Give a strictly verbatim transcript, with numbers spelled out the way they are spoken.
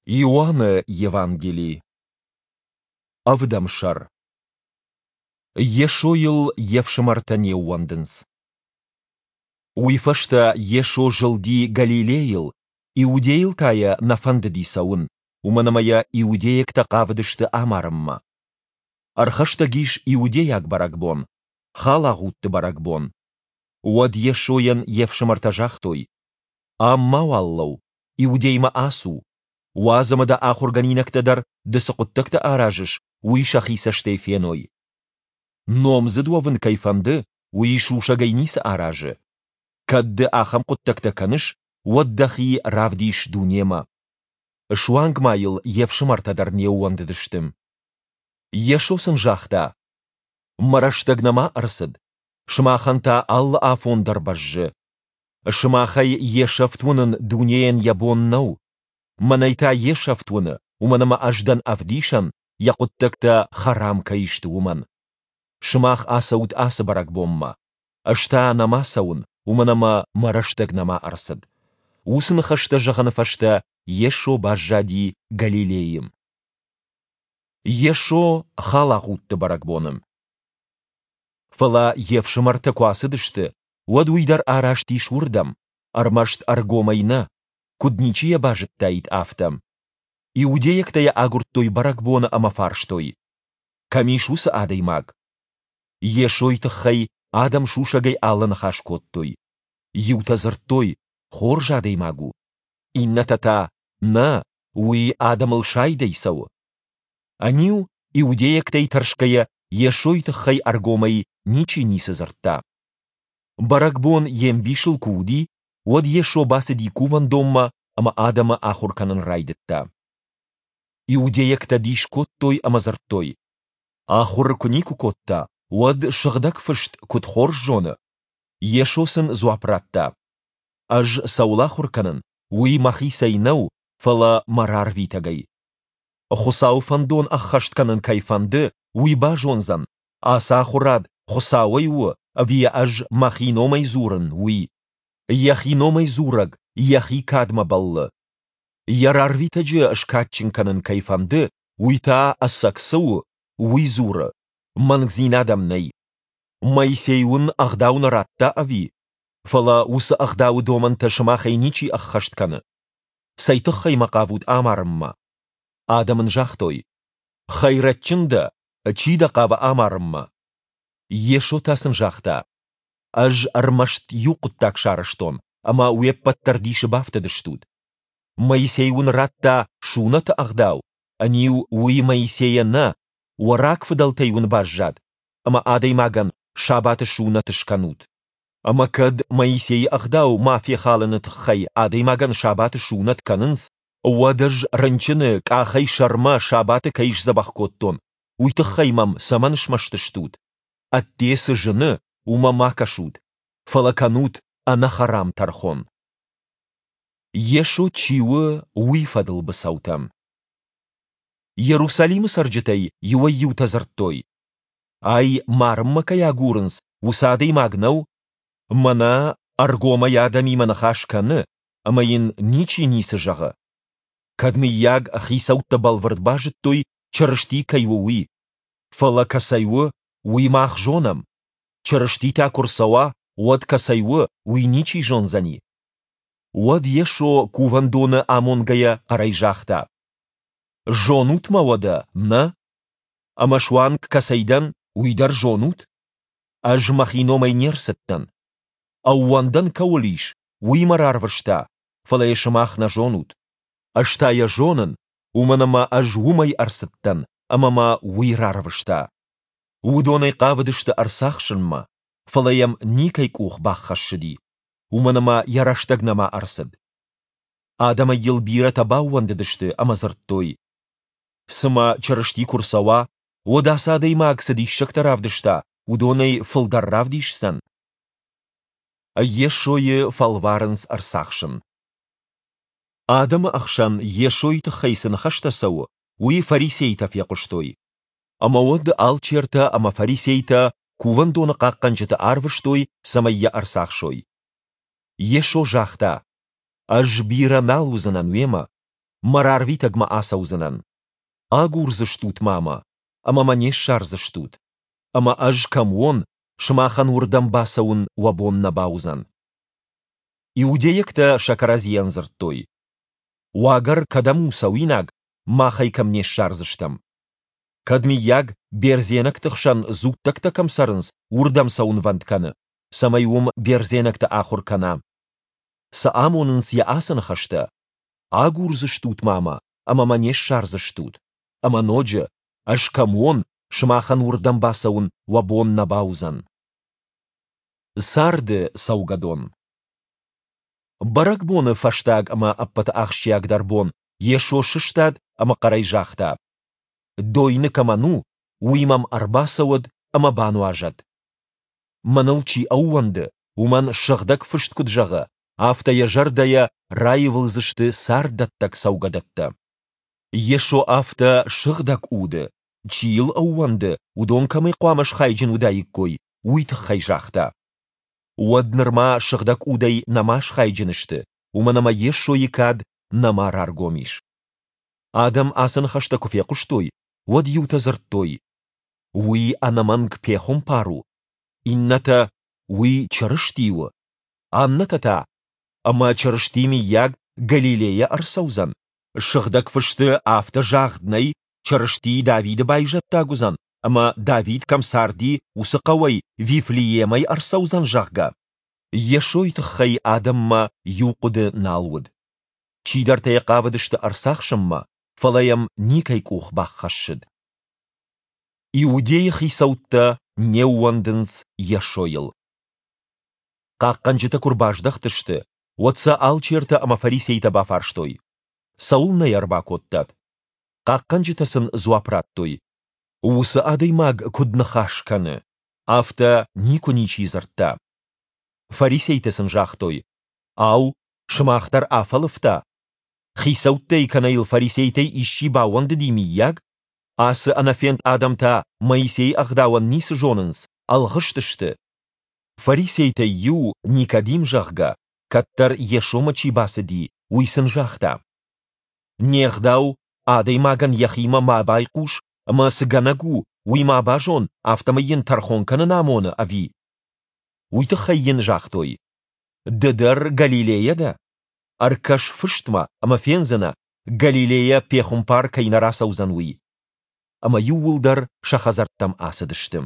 Иоанны Евангели. Ӕвдӕм сӕр. Йесойыл йе фсымӕртӕ не ууӕндынц. Уый фӕстӕ Йесо зылди Галилейыл, Иудейыл та йӕ нӕ фӕндыди цӕуын, уымӕн ӕмӕ йӕ иудейӕгтӕ хъавыдысты амарынмӕ. Ӕрхӕстӕг ис иудейаг бӕрӕгбон, Халагъудты бӕрӕгбон. Уӕд Йесойӕн йе фсымӕртӕ загътой: Ам мауал лӕуу, Иудеймӕ ацу. Уадз ӕмӕ дӕ ахуыргӕнинӕгтӕ дӕр, ды цы хъуыддӕгтӕ аразыс, уый сӕхи цӕстӕй феной. Номдзыд уӕвын кӕй фӕнды, уый сусӕгӕй ницы аразы. Кӕд ды ахӕм хъуыддӕгтӕ кӕныс, уӕд дӕхи равдис дунемӕ. Суанг ма йыл йе фсымӕртӕ дӕр не ууӕндыдысты. Йесо сын загъта: Мӕ рӕстӕг нӕма ӕрцыд, сымахӕн та алы афон дӕр бӕззы. Сымахӕй йе сӕфт уынын дунейӕн йӕ бон нӕу. Мӕнӕй та йе сӕфт уыны, уымӕн ӕмӕ ӕз дӕн ӕвдисӕн, йӕ хъуыддӕгтӕ хӕрам кӕй сты, уымӕн. Сымах ацӕут ацы бӕрӕгбонмӕ. Ӕз та нӕма цӕуын, уымӕн ӕмӕ мӕ рӕстӕг нӕма ӕрцыд. Уыцы ныхӕстӕ зӕгъыны фӕстӕ Йесо баззади Галилейы. Йесо халагъудты бӕрӕгбоны. Фӕлӕ йе фсымӕртӕ куы ацыдысты, уӕд уый дӕр араст ис уырдӕм, ӕрмӕст ӕргомӕй нӕ, куыд ничи йӕ базыдтаид, афтӕ. Иудейӕгтӕ йӕ агуырдтой бӕрӕгбоны ӕмӕ фарстой: Кӕм ис уыцы адӕймаг? Йесойы тыххӕй адӕм сусӕгӕй алы ныхас кодтой. Иутӕ дзырдтой: Хорз адӕймаг у. Иннӕтӕ та: Нӕ, уый адӕмыл сайдӕй цӕуы. Ӕниу, иудейӕгтӕй тӕрсгӕйӕ, Йесойы тыххӕй ӕргомӕй ничи ницы дзырдта. Бӕрӕгбон йе мбисыл куы уыди, уӕд Йесо бацыди кувӕндонмӕ ӕмӕ адӕмы ахуыр кӕнын райдыдта. Иудейӕгтӕ дис кодтой ӕмӕ дзырдтой: Ахуыр куы никуы кодта, уӕд Сыгъдӕг Фыст куыд хорз зоны? Йесо сын дзуапп радта: Ӕз цӕуыл ахуыр кӕнын, уый мӕхицӕй нӕу, фӕлӕ мӕ рарвитӕгӕй. Хуыцауы фӕндон ӕххӕст кӕнын кӕй фӕнды, уый базондзӕн, ацы ахуырад Хуыцауӕй у ӕви йӕ ӕз мӕхи номӕй дзурын, уый. Йӕхи номӕй дзурӕг йӕхи кадмӕ бӕллы. Йӕ рарвитӕджы скадджын кӕнын кӕй фӕнды, уый та, ӕцӕг цы у, уый дзуры, мӕнгдзинад ӕм нӕй. Моисей уын ӕгъдау нӕ радта, ӕви? Фӕлӕ уыцы ӕгъдауы домӕнтӕ сымахӕй ничи ӕххӕст кӕны. Цӕй тыххӕй мӕ хъавут амарынмӕ? Адӕм ын загътой: Хӕйрӕджджын дӕ, чи дӕ хъавы амарынмӕ? Йесо та сын загъта: Ӕз ӕрмӕст иу хъуыддаг сарӕзтон, ӕмӕ уе ппӕт дӕр дисы бафтыдыстут. Моисей уын радта сунӕты ӕгъдау, ӕниу уый Моисейӕ нӕ, уӕ рагфыдӕлтӕй уын баззад, ӕмӕ адӕймагӕн сабаты сунӕт скӕнут. Ӕмӕ кӕд Моисейы ӕгъдау ма фехалыны тыххӕй адӕймагӕн сабаты сунӕт кӕнынц, уӕд ӕз рынчыны къахӕй сӕрмӕ сабаты кӕй сдзӕбӕх кодтон, уый тыххӕй мӕм цӕмӕн смӕсты стут? Ӕдде цы зыны, уымӕ ма кӕсут, фӕлӕ кӕнут ӕнӕхӕрам тӕрхон. Йесо чи у, уый фӕдыл быцӕутӕ. Иерусалимы цӕрджытӕй иуӕй-иутӕ дзырдтой: Ай марынмӕ кӕй агурынц, уыцы адӕймаг нӕу? Мӕнӕ ӕргомӕй адӕмимӕ ныхас кӕны, ӕмӕ йын ничи ницы зӕгъы. Кӕд, мыййаг, хицӕуттӕ бӕлвырд базыдтой, Чырысти кӕй у, уый. Фӕлӕ кӕцӕй у, уый мах зонӕм. Чырысти та куы рцӕуа, уӕд кӕцӕй у, уый ничи зондзӕни. Уӕд Йесо кувӕндоны амонгӕйӕ хъӕрӕй загъта: Зонут мӕ уӕдӕ, нӕ? Ӕмӕ суанг кӕцӕй дӕн, уый дӕр зонут? Ӕз мӕхи номӕй не рцыдтӕн. Ӕууӕндӕн кӕуыл ис, уый мӕ рарвыста, фӕлӕ йӕ сымах нӕ зонут. Ӕз та йӕ зонын, уымӕн ӕмӕ ӕз уымӕй ӕрцыдтӕн, ӕмӕ мӕ уый рарвыста. Уыдон ӕй хъавыдысты ӕрцахсынмӕ, фӕлӕ йӕм никӕй къух баххӕссыди, уымӕн ӕмӕ йӕ рӕстӕг нӕма ӕрцыд. Адӕмӕй йыл бирӕтӕ баууӕндыдысты ӕмӕ дзырдтой: Цымӕ Чырысти куы рцӕуа, уӕд ацы адӕймаг цы диссӕгтӕ равдыста, уыдонӕй фылдӕр равдисдзӕн? Йесойы фӕлварынц ӕрцахсын. Адӕмы ӕхсӕн Йесойы тыххӕй цы ныхӕстӕ цӕуы, уый фарисейтӕ фехъуыстой. Ӕмӕ уӕд алчертӕ ӕмӕ фарисейтӕ кувӕндоны хъахъхъӕнджыты арвыстой, цӕмӕй йӕ ӕрцахсой. Йесо загъта: Ӕз бирӕ нал уыдзынӕн уемӕ. Мӕ рарвитӕгмӕ ацӕудзынӕн. Агурдзыстут ма Мӕ, ӕмӕ Мӕ не ссардзыстут. Ӕмӕ Ӕз кӕм уон, сымахӕн уырдӕм бацӕуын уӕ бон нӕ бауыдзӕн. Иудейӕгтӕ сӕ кӕрӕдзийӕн дзырдтой: Уагӕр кӕдӕм у цӕуинаг, мах ӕй кӕм не ссардзыстӕм? Кӕд, мыййаг, бердзенӕгты хсӕн дзуттӕгтӕ кӕм цӕрынц, уырдӕм цӕуынвӕнд кӕны, цӕмӕй уым бердзенӕгты ахуыр кӕна? Цы амонынц йӕ ацы ныхӕстӕ? Агурдзыстут ма мӕ, ӕмӕ мӕ не ссардзыстут. Ӕмӕ ноджы, ӕз кӕм уон, сымахӕн уырдӕм бацӕуын уӕ бон нӕ бауыдзӕн. Царды цӕугӕдон. Бӕрӕгбоны фӕстаг ӕмӕ ӕппӕты ахсджиагдӕр бон Йесо сыстад ӕмӕ хъӕрӕй загъта: Дойны кӕмӕн у, уый мӕм ӕрбацӕуӕд ӕмӕ бануазӕд. Мӕныл чи ӕууӕнды, уымӕн Сыгъдӕг Фыст куыд зӕгъы, афтӕ йӕ зӕрдӕйӕ раивылдзысты царддӕттӕг цӕугӕдӕттӕ. Йесо афтӕ Сыгъдӕг Уды, чи йыл ӕууӕнды, уыдон кӕмӕй хъуамӕ схайджын уыдаиккой, уый тыххӕй загъта. Уӕд нырма Сыгъдӕг Удӕй нӕма схайджын сты, уымӕн ӕмӕ Йесойы кад нӕма раргом ис. Адӕм ацы ныхӕстӕ куы фехъуыстой, уӕд иутӕ дзырдтой: Уый ӕнӕмӕнг пехуымпар у, иннӕтӕ: Уый Чырысти у, аннӕтӕ та: Ӕмӕ Чырысти, мыййаг, Галилейӕ ӕрцӕудзӕн? Сыгъдӕг Фысты афтӕ загъд нӕй, Чырысти Давиды байзӕддаг уыдзӕн ӕмӕ, Давид кӕм царди, уыцы хъӕуӕй, Вифлеемӕй ӕрцӕудзӕн, зӕгъгӕ? Йесойы тыххӕй адӕммӕ иу хъуыды нал уыд. Чидӕртӕ йӕ хъавыдысты ӕрцахсынмӕ, фӕлӕ йӕм никӕй къух баххӕссыд. Иудейы хицӕуттӕ не ууӕндынц Йесойыл. Хъахъхъӕнджытӕ куы рбаздӕхтысты, уӕд сӕ алчертӕ ӕмӕ фарисейтӕ бафарстой: Цӕуылнӕ йӕ ӕрбакодтат? Хъахъхъӕнджытӕ сын дзуапп радтой: Уыцы адӕймаг куыд ныхас кӕны, афтӕ никуы ничи дзырдта. Фарисейтӕ сын загътой: Ау, сымах дӕр афӕлывта? Хицӕуттӕй кӕнӕ йыл фарисейтӕй исчи баууӕндыди, мыййаг? Ацы ӕнӕфенд адӕм та Моисейы ӕгъдауӕн ницы зонынц, ӕлгъыст сты. Фарисейтӕй иу, Никодим, зӕгъгӕ, кӕддӕр Йесомӕ чи бацыди, уый сын загъта: Не гъдау, адӕймагӕн йӕхимӕ ма байхъус ӕмӕ цы гӕнӕг у, уый ма базон, афтӕмӕй йын тӕрхон кӕнын амоны, ӕви? Уый тыххӕй йын загътой: Ды дӕр Галилейӕ дӕ? Ӕркӕс Фыстмӕ ӕмӕ фендзынӕ, Галилейӕ пехуымпар кӕй нӕ рацӕудзӕн, уый. Ӕмӕ иууылдӕр сӕ хӕдзӕрттӕм ацыдысты.